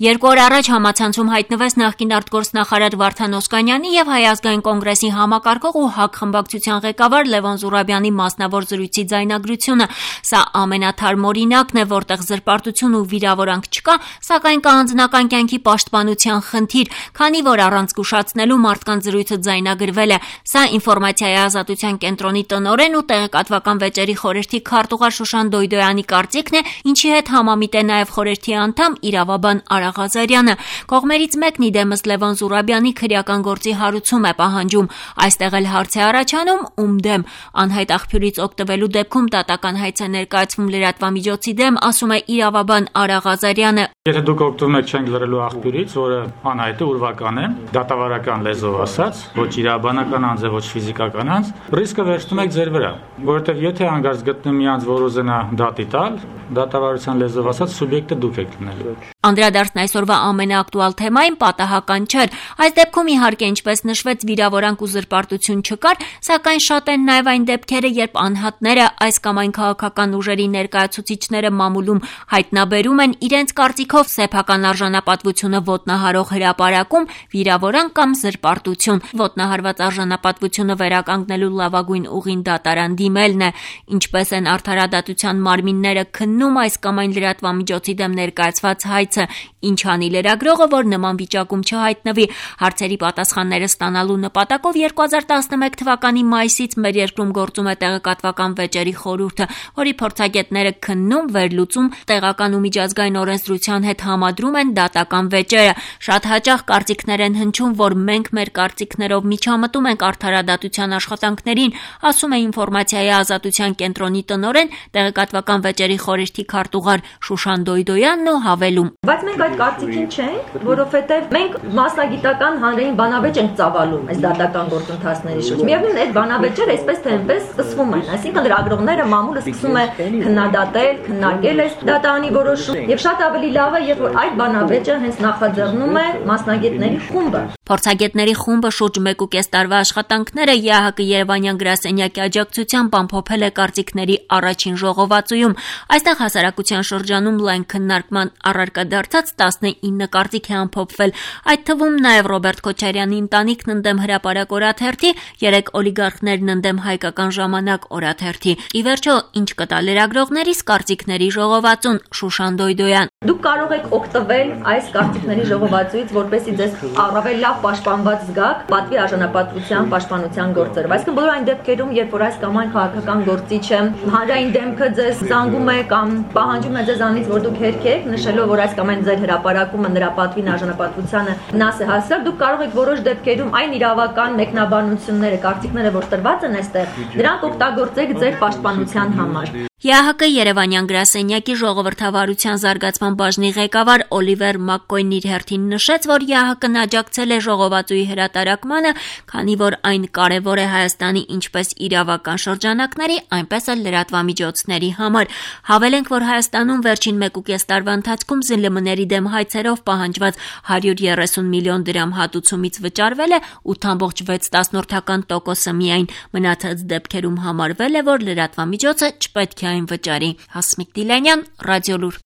2 օր առաջ համացանցում հայտնվեց նախկին արտգործնախարար Վարդան Օսկանյանի եւ Հայ ազգային կոնգրեսի համակարգող ու ՀԱԿ խմբակցության ղեկավար Լևոն Զուրաբյանի մասնավոր զրույցի ձայնագրությունը։ Սա ամենաթարմ օրինակն է, որտեղ զրպարտություն ու վիրավորանք չկա, սակայն կա անձնական կյանքի պաշտպանության խնդիր, քանի որ առանց զգուշացնելու մարդկանց զրույցը ձայնագրվել է։ Սա ինֆորմացիայի ազատության կենտրոնի տնօրեն ու տեղեկատվական վեճերի խորհրդի քարտուղար Շուշան Դոյդոյանի կարծիքն է, ինչի հետ համամիտ է նաեւ խորհրդի անդամ իրավաբան Ղազարյանը։ Կողմերից մեկն իդեմս Լևոն Զուրաբյանի քրեական գործի հարուցում է պահանջում։ Այստեղ էլ հարց է առաջանում ում դեմ։ Անհայտ աղբյուրից օգտվելու դեպքում դատական հայց է ներկայացվում լրատվամիջոցի դեմ, ասում է իրավաբան Ղազարյանը։ Եթե դուք օգտվում եք չենք լրելու աղբյուրից, որը անհայտ է, ուրվական է, դատավարական լեզվով ասած, ոչ իրավաբանական անձ է, ոչ ֆիզիկական անձ, ռիսկը վերցնում եք ձեր վրա, որովհետև եթե հանգարց գտնում մի անձ, որ ուզենա դատի տալ, դատավարության լեզվով ասած սուբյեկտը դուք եք լինելու։ Անդրադարձն այսօրվա ամենաակտուալ թեմային պատահական չէր։ Այս դեպքում իհարկե ինչպես նշվեց վիրավորանք ու զրպարտություն չկար, սակայն շատ են նաև այն դեպքերը, երբ անհատները այս կամ այն քաղաքական ուժերի ներկայացուցիչները մամուլում հայտնաբերում են իրենց կարծիքով սեփական արժանապատվությունը ոտնահարող հրապարակում վիրավորանք կամ զրպարտություն։ Ոտնահարված արժանապատվությունը վերականգնելու լավագույն ուղին դատարան դիմելն է։ Ինչպես են արդարադատության մարմինները քննում այս կամ այն լրատվամիջոցի դեմ ներկայացված հայցը, ինչ անի լրագրողը, որ նման վիճակում չհայտնվի։ Հարցերի պատասխանները ստանալու նպատակով 2011 թվականի մայիսից մեր երկրում գործում է տեղեկատվական վեճերի խորհուրդը, որի փորձագետները քննում, վերլուծում, տեղական ու միջազգային օրենսդրության հետ համադրում են դատական վեճերը։ Շատ հաճախ կարծիքներ են հնչում, որ մենք մեր կարծիքներով միջամտում ենք արդարադատության աշխատանքներին, ասում է ինֆորմացիայի ազատության կենտրոնի տնօրեն, տեղեկատվական վեճերի խորհրդի քարտուղար Շուշան Դոյդոյանն ու հավելում. Բայց մենք այդ կարծիքին չենք, որովհետև մենք մասնագիտական հանրային բանավեճ ենք ծավալում այս դատական գործընթացների շուրջ։ Միևնույն է, այդ բանավեճերը այսպես թե այնպես սկսվում են, այսինքն լրագրողները մամուլը սկսում է քննադատել, քննարկել այս դատարանի որոշումը, եւ շատ ավելի լավ է, երբ որ այդ բանավեճը հենց նախաձեռնում է մասնագետների խումբը։ Փորձագետների խումբը շուրջ 1.5 տարվա աշխատանքները ԵԱՀԿ Երևանյան գրասենյակի աջակցությամբ ամփոփել է կարծիքների առաջին ժողովածուում։ Այստեղ հասարակության շրջանում լայն քննարկման առարկա դարձած 19 կարծիք է ամփոփվել։ Այդ թվում նաև Ռոբերտ Քոչարյանի ընտանիքն ընդդեմ հրապարակ օրաթերթի, 3 օլիգարխներն ընդդեմ Հայկական ժամանակ օրաթերթի։ Ի վերջո, ինչ կտա լրագրողներիս կարծիքների ժողովածուն, Շուշան Դոյդոյան։ Դուք կարող եք օգտվել այս կարծիքների ժողովածուից, որպեսզի ձեզ առավել լավ պաշտպանված զգաք պատվի արժանապատվության պաշտպանության գործերով։ Այսինքն բոլոր այն դեպքերում, երբ որ այս կամ այն քաղաքական գործիչը հանրային դեմքը ձեզ զանգում է կամ պահանջում է ձեզանից, որ դուք հերքեք, նշելով, որ այս կամ այն ձեր հրապարակումը նրա պատվին արժանապատվությանը վնաս է հասցրել, դուք կարող եք որոշ դեպքերում այն իրավական մեկնաբանությունները, կարծիքները, որ տրված են այստեղ, դրանք օգտագործեք ձեր պաշտպանության համար։ ԵԱՀԿ Երևանյան գրասենյակի ժողովրդավարության զարգացման բաժնի ղեկավար Օլիվեր Մակկոյնն իր հերթին նշեց, որ ԵԱՀԿ-ն աջակցել է ժողովածուի հրատարակմանը, քանի որ այն կարևոր է Հայաստանի ինչպես իրավական շրջանակների, այնպես էլ լրատվամիջոցների համար։ Հավելենք, որ Հայաստանում վերջին 1.5 տարվա ընթացքում ԶԼՄ-ների դեմ հայցերով պահանջված 130 միլիոն դրամ հատուցումից վճարվել է 8.6% միայն։ Մնացած դեպքերում համարվել է, որ լրատվամիջոցը չպետք է այն վճարի։ Հասմիկ Դիլանյան, Ռադիոլուր։